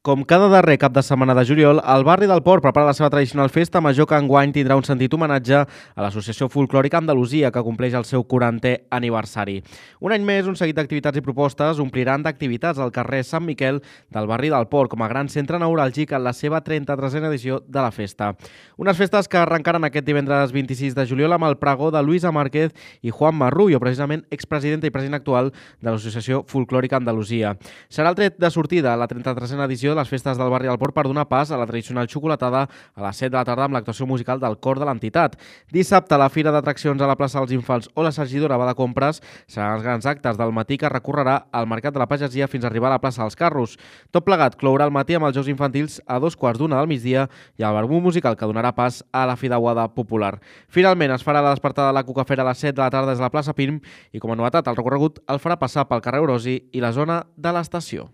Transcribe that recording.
Com cada darrer cap de setmana de juliol, el barri del Port prepara la seva tradicional festa major que enguany tindrà un sentit homenatge a l'Associació Folclòrica Andalusia, que compleix el seu 40è aniversari. Un any més, un seguit d'activitats i propostes ompliran d'activitats al carrer Sant Miquel del barri del Port, com a gran centre neuràlgic en la seva 33a edició de la festa. Unes festes que arrencaran aquest divendres 26 de juliol amb el pregó de Luisa Márquez i Juan Marrullo, precisament expresidenta i president actual de l'Associació Folclòrica Andalusia. Serà el tret de sortida a la 33a edició de les festes del barri del Port per donar pas a la tradicional xocolatada a les 7 de la tarda amb l'actuació musical del cor de l'entitat. Dissabte, la fira d'atraccions a la plaça dels Infants o la Sargidora va de compres seran els grans actes del matí que recorrerà al Mercat de la Pagesia fins a arribar a la plaça dels Carros. Tot plegat clourà el matí amb els Jocs Infantils a 2:15 del migdia i el barbú musical que donarà pas a la fideuada popular. Finalment, es farà la despertada de la Cucafera a les 7 de la tarda des de la plaça Pirm i, com a novetat, el recorregut el farà passar pel carrer Orosi i la zona de l'estació.